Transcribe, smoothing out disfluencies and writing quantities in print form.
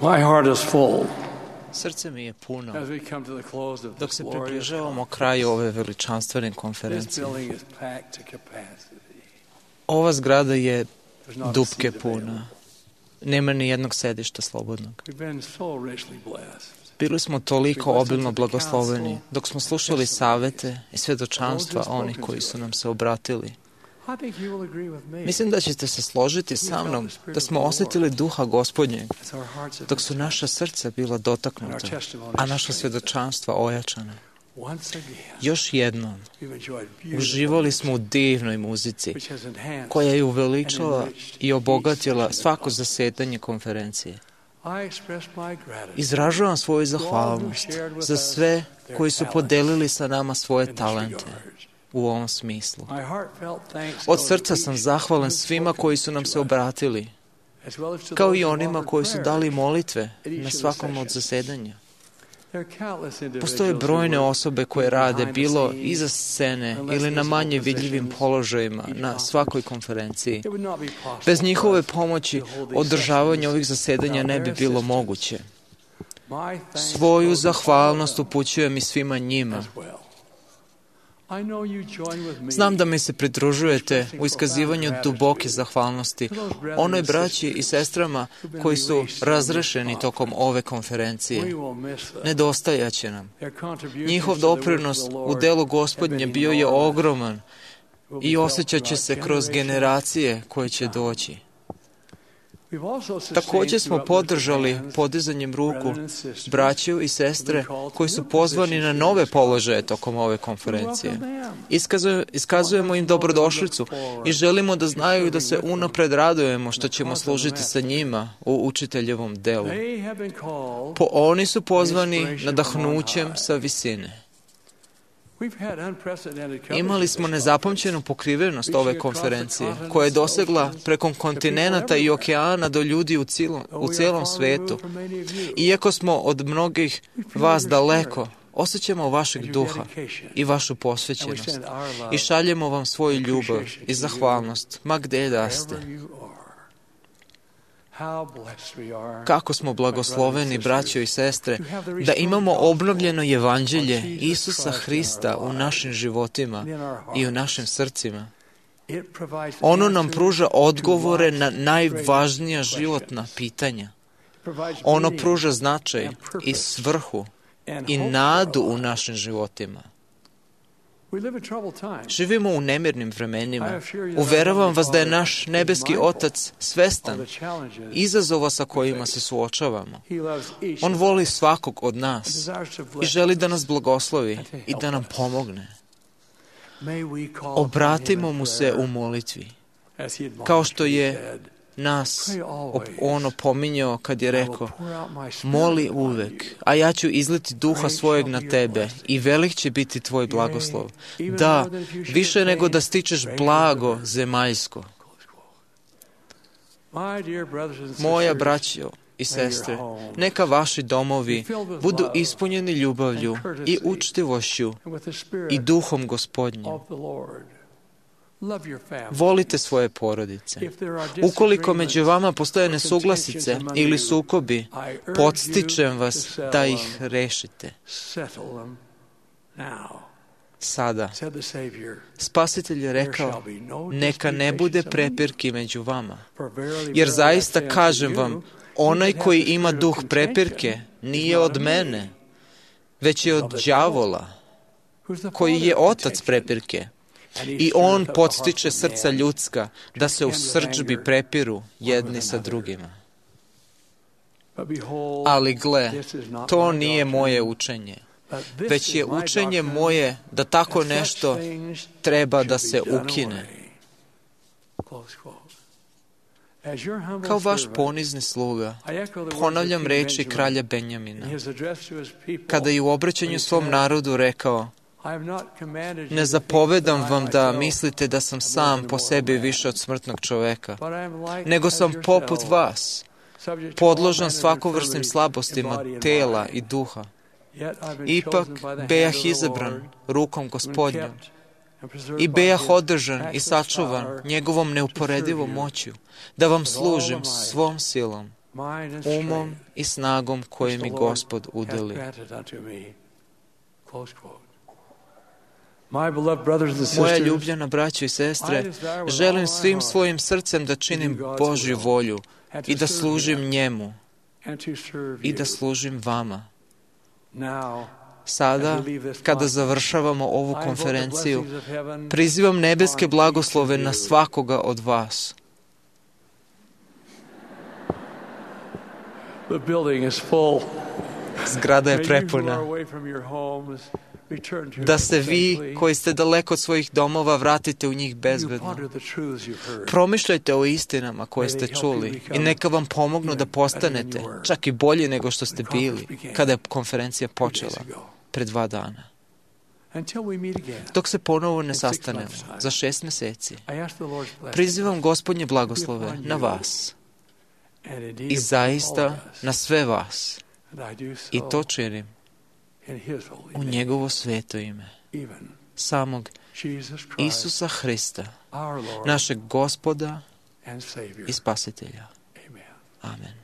My heart is full Srce mi je puno as we come to the close of dok this se glorious približavamo kraju ove veličanstvene This konferencije. building is packed to capacity. Ova zgrada je There's not a dupke seat puna. available. Nema ni jednog sedišta slobodnog. We've been so richly blessed. Bili smo toliko obilno blagosloveni dok smo slušali savete i svedočanstva onih koji su nam se obratili. I think you will agree with me. Mislim da ćete se složiti sa mnom da smo osjetili duha Gospodnjeg As our hearts have dok su naša srca bila dotaknuta, a naša svedočanstva ojačana. once again Još jednom, we've enjoyed beautiful uživali smo u divnoj muzici which has enhanced. koja je uveličala i obogatila svako zasedanje konferencije. I express my gratitude Izražavam svoju zahvalnost za sve koji su podelili sa nama svoje in this talente regard. u ovom smislu. My heartfelt thanks Od goes srca to sam each zahvalan who svima spoke koji su nam se to us, obratili, as well as to kao those i who onima offered koji su prayers. dali molitve at each na of the svakom od sessions. zasedanja. There are countless individuals Postoje who brojne work osobe koje behind rade the bilo scenes iza scene in less ili na visible manje vidljivim positions položajima each na conference. svakoj konferenciji. It would not be possible Bez for njihove us pomoći to hold these održavanje sessions ovih zasedanja without ne bi their bilo assistance. moguće. My thanks Svoju go to all zahvalnost of them upućujem i svima njima. as well. I know you join with me Znam da mi se pridružujete u iskazivanju duboke zahvalnosti onoj braći i sestrama koji su razrešeni tokom ove konferencije. We will miss them. Nedostajaće nam. Their contributions Njihov to the work of doprinos the u Lord delu have Gospodnje been bio je enormous. ogroman Will be i felt osjećat će throughout se kroz generations. generacije koje će doći. We've also sustained Također smo through podržali uplifting hands podizanjem ruku brethren and sisters braću i sestre koji su pozvani na nove položaje tokom ove who konferencije. welcome them. Iskazujemo im dobrodošlicu i želimo da znaju da se unapred radujemo što ćemo služiti sa njima u učiteljevom delu. They have been called. Oni su pozvani nadahnućem sa visine. We've had unprecedented coverage Imali of smo this nezapamćenu pokrivenost ove konferencije, koja je dosegla preko kontinenata i okeana do ljudi u cijelom svetu. Iako smo od mnogih vas daleko, osjećamo vašeg duha i vašu posvećenost i šaljemo vam svoju ljubav i zahvalnost, ma gde da ste. Kako smo blagosloveni, braćo i sestre, da imamo obnovljeno evanđelje Isusa Hrista u našim životima i u našim srcima. Ono nam pruža odgovore na najvažnija životna pitanja. Ono pruža značaj i svrhu i nadu u našim životima. Živimo u nemirnim vremenima. Uveravam vas da je naš nebeski Otac svestan izazova sa kojima se suočavamo. On voli svakog od nas i želi da nas blagoslovi i da nam pomogne. Obratimo mu se u molitvi, kao što je nas on opominjao kad je rekao: moli uvek, a ja ću izliti duha svojeg na tebe i velik će biti tvoj blagoslov. Da, više nego da stičeš blago zemaljsko. Moja braćo i sestre, neka vaši domovi budu ispunjeni ljubavlju i učtivošću i duhom Gospodnjim. Volite svoje porodice. Ukoliko među vama postoje nesuglasice ili sukobi, podstičem vas da ih rešite. Sada, Spasitelj je rekao: neka ne bude prepirki među vama. Jer zaista kažem vam, onaj koji ima duh prepirke nije od mene, već je od đavola, koji je otac prepirke. I on podstiče srca ljudska da se u srdžbi prepiru jedni sa drugima. Ali gle, to nije moje učenje, već je učenje moje da tako nešto treba da se ukine. Kao vaš ponizni sluga, ponavljam reči kralja Benjamina, kada je u obraćanju svom narodu rekao: ne zapovedam vam da mislite da sam sam po sebi više od smrtnog čoveka, nego sam poput vas, podložan svakovrsnim slabostima tela i duha. Ipak bejah izabran rukom Gospodnjom i bejah održan i sačuvan njegovom neuporedivom moću, da vam služim svom silom umom i snagom koje mi Gospod udeli. Moja ljubljena braćo i sestre, želim svim svojim srcem da činim Božju volju i da služim njemu i da služim vama. Sada, kada završavamo ovu konferenciju, prizivam nebeske blagoslove na svakoga od vas. Zgrada je prepuna. Da se vi, koji ste daleko od svojih domova, vratite u njih bezbedno. Promišljajte o istinama koje ste čuli i neka vam pomognu da postanete čak i bolji nego što ste bili kada je konferencija počela pred 2 dana. Dok se ponovo ne sastanemo za 6 meseci, prizivam Gospodnje blagoslove na vas i zaista na sve vas. I to činim u njegovo sveto ime, samog Isusa Hrista, našeg Gospoda i Spasitelja. Amen.